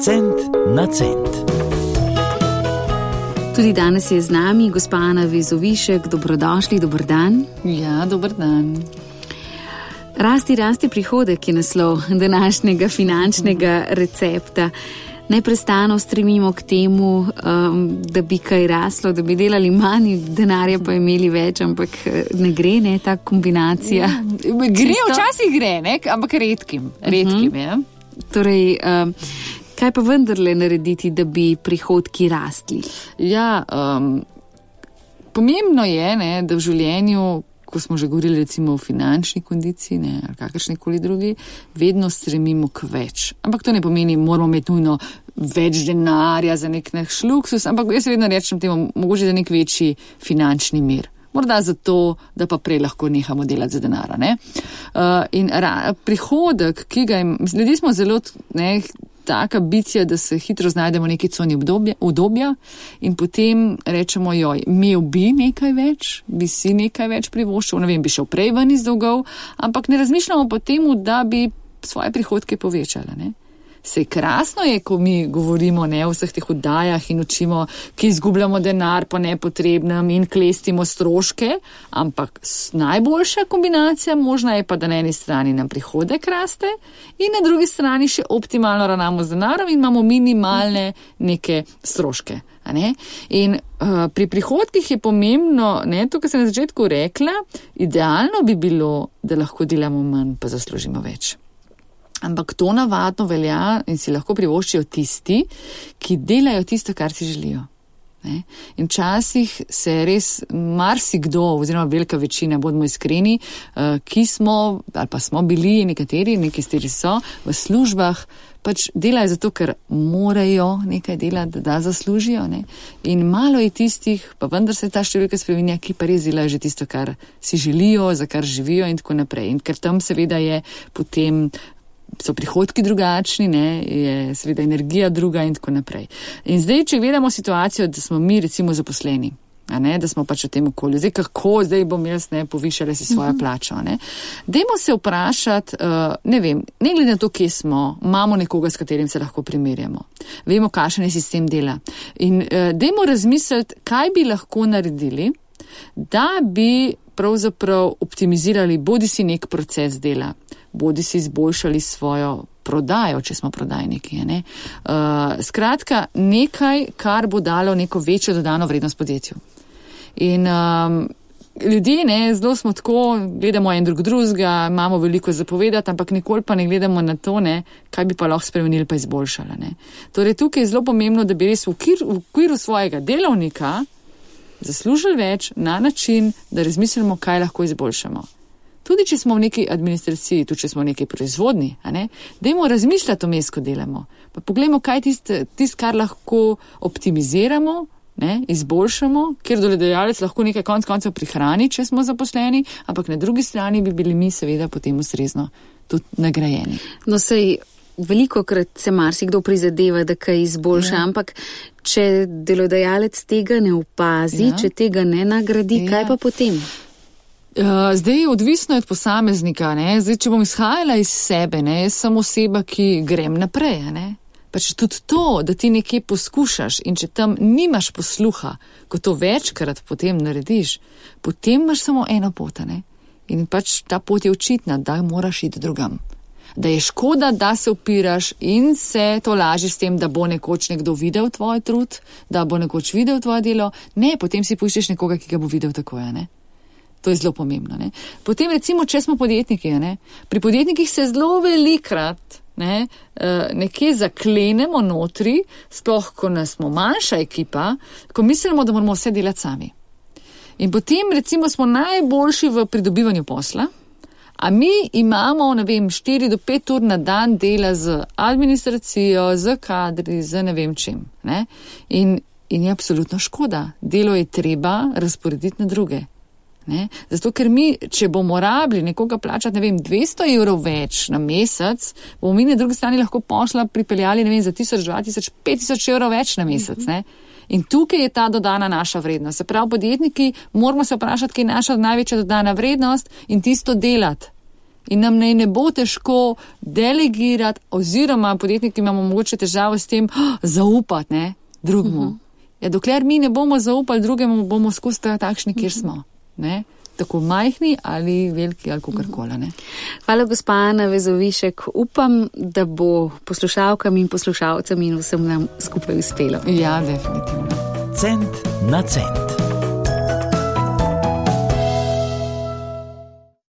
Cent na cent. Tudi danes je z nami gospa Ana Vezovišek. Dobrodošli, dober dan. Ja, dober dan. Rasti prihodek je naslov današnjega finančnega recepta. Neprestano stremimo k temu, da bi kaj raslo, da bi delali manj, denarja pa imeli več, ampak ne gre, ne, ta kombinacija. Ja, včasih gre, ne, ampak redkim, ja. Torej, kaj pa vendarle narediti, da bi prihodki rastli? Ja, pomembno je, ne, da v življenju, ko smo že govorili recimo o finančni kondiciji, ne, ali kakršnikoli drugi, vedno stremimo k več. Ampak to ne pomeni, moramo imeti nujno več denarja za nek naš luksus, ampak jaz vedno rečem temu, mogoče za nek večji finančni mir. Morda zato, da pa prej lahko nehamo delati za denara, ne. Prihodek, ki ga ljudje smo zelo, ne, taka bicija, da se hitro znajdemo v neki coni udobja in potem rečemo, joj, imel bi nekaj več, bi si nekaj več privoščil, ne vem, bi šel prej ven iz dolgov, ampak ne razmišljamo po temu, da bi svoje prihodke povečala, ne. Sej krasno je, ko mi govorimo, ne, o vseh teh oddajah in učimo, ki izgubljamo denar po nepotrebnem in klestimo stroške, ampak najboljša kombinacija možna je pa, da na eni strani nam prihodek raste in na drugi strani še optimalno ravnamo z denarom in imamo minimalne neke stroške. Ne? In pri prihodkih je pomembno, ne, to, kar sem na začetku rekla, idealno bi bilo, da lahko delamo manj, pa zaslužimo več. Ampak to navadno velja in si lahko privoščijo tisti, ki delajo tisto, kar si želijo. Ne? In včasih se res marsikdo, oziroma velika večina, bodimo iskreni, ki smo, ali pa smo bili nekateri so v službah, pač delajo zato, ker morajo nekaj delati, da zaslužijo. Ne? In malo je tistih, pa vendar se ta številka spreminja, ki pa res delajo že tisto, kar si želijo, za kar živijo in tako naprej. In ker tam seveda je potem so prihodki drugačni, ne, je seveda energija druga in tako naprej. In zdaj, če gledamo situacijo, da smo mi recimo zaposleni, a ne, da smo pač v tem okolju, zdaj kako, zdaj bom jaz, ne, povišala si svojo plačo, ne. Dajmo se vprašati, ne vem, ne glede na to, kje smo, imamo nekoga, s katerim se lahko primerjamo. Vemo, kakšen je sistem dela. In dajmo razmisliti, kaj bi lahko naredili, da bi pravzaprav optimizirali bodisi nek proces dela, bodisi izboljšali svojo prodajo, če smo prodajniki, ne. Skratka, nekaj, kar bo dalo neko večjo dodano vrednost podjetju. In ljudje, ne, zelo smo tako, gledamo en drugega, imamo veliko zapovedati, ampak nikoli pa ne gledamo na to, ne, kaj bi pa lahko spremenili pa izboljšali, ne. Torej, tukaj je zelo pomembno, da bi res v okviru svojega delovnika zaslužili več na način, da razmislimo, kaj lahko izboljšamo. Tudi če smo v neki administraciji, tudi če smo v neki proizvodni, dajmo razmišljati o mes, ko delamo. Pa poglejmo, kaj tist, kar lahko optimiziramo, ne, izboljšamo, kjer delodajalec lahko nekaj koncev prihrani, če smo zaposleni, ampak na drugi strani bi bili mi seveda potem ustrezno tudi nagrajeni. No, sej velikokrat se marsikdo prizadeva, da kaj izboljša, ampak če delodajalec tega ne opazi, če tega ne nagradi, kaj pa potem? Zdaj odvisno je od posameznika, ne. Zdaj, če bom izhajala iz sebe, ne, jaz sem oseba, ki grem naprej, ne. Pač tudi to, da ti nekje poskušaš in če tam nimaš posluha, ko to večkrat potem narediš, potem imaš samo eno pot, ne. In pač ta pot je očitna, da moraš iti drugam. Da je škoda, da se upiraš in se to laži s tem, da bo nekoč nekdo videl tvoj trud, da bo nekoč videl tvoje delo. Ne, potem si poiščeš nekoga, ki ga bo videl tako, ne. To je zelo pomembno, ne. Potem recimo, če smo podjetniki, ne, pri podjetnikih se zelo velikrat, ne, nekje zaklenemo notri, sploh, ko nas smo manjša ekipa, ko mislimo, da moramo vse delati sami. In potem recimo smo najboljši v pridobivanju posla, a mi imamo, ne vem, 4 do 5 ur na dan dela z administracijo, z kadri, z ne vem čim, ne. In je absolutno škoda. Delo je treba razporediti na druge. Ne? Zato, ker mi, če bomo rabili nekoga plačati, ne vem, 200 evrov več na mesec, bomo mi na drugi strani lahko posla pripeljali, ne vem, za 1000, 2000, 5000 evrov več na mesec, ne? In tukaj je ta dodana naša vrednost. Se pravi, podjetniki moramo se vprašati, kaj je naša največja dodana vrednost in tisto delati. In nam ne bo težko delegirati, oziroma podjetniki imamo mogoče težavo s tem zaupati, ne, drugemu. Ja, dokler mi ne bomo zaupali drugemu, bomo skozi takšni, kjer smo, ne. Tako majhni ali veliki ali kakorkoli, ne. Hvala, gospa Ana Vezovišek. Upam, da bo poslušalkam in poslušalcem in vsem nam skupaj uspelo. Ja, definitivno. Cent na cent.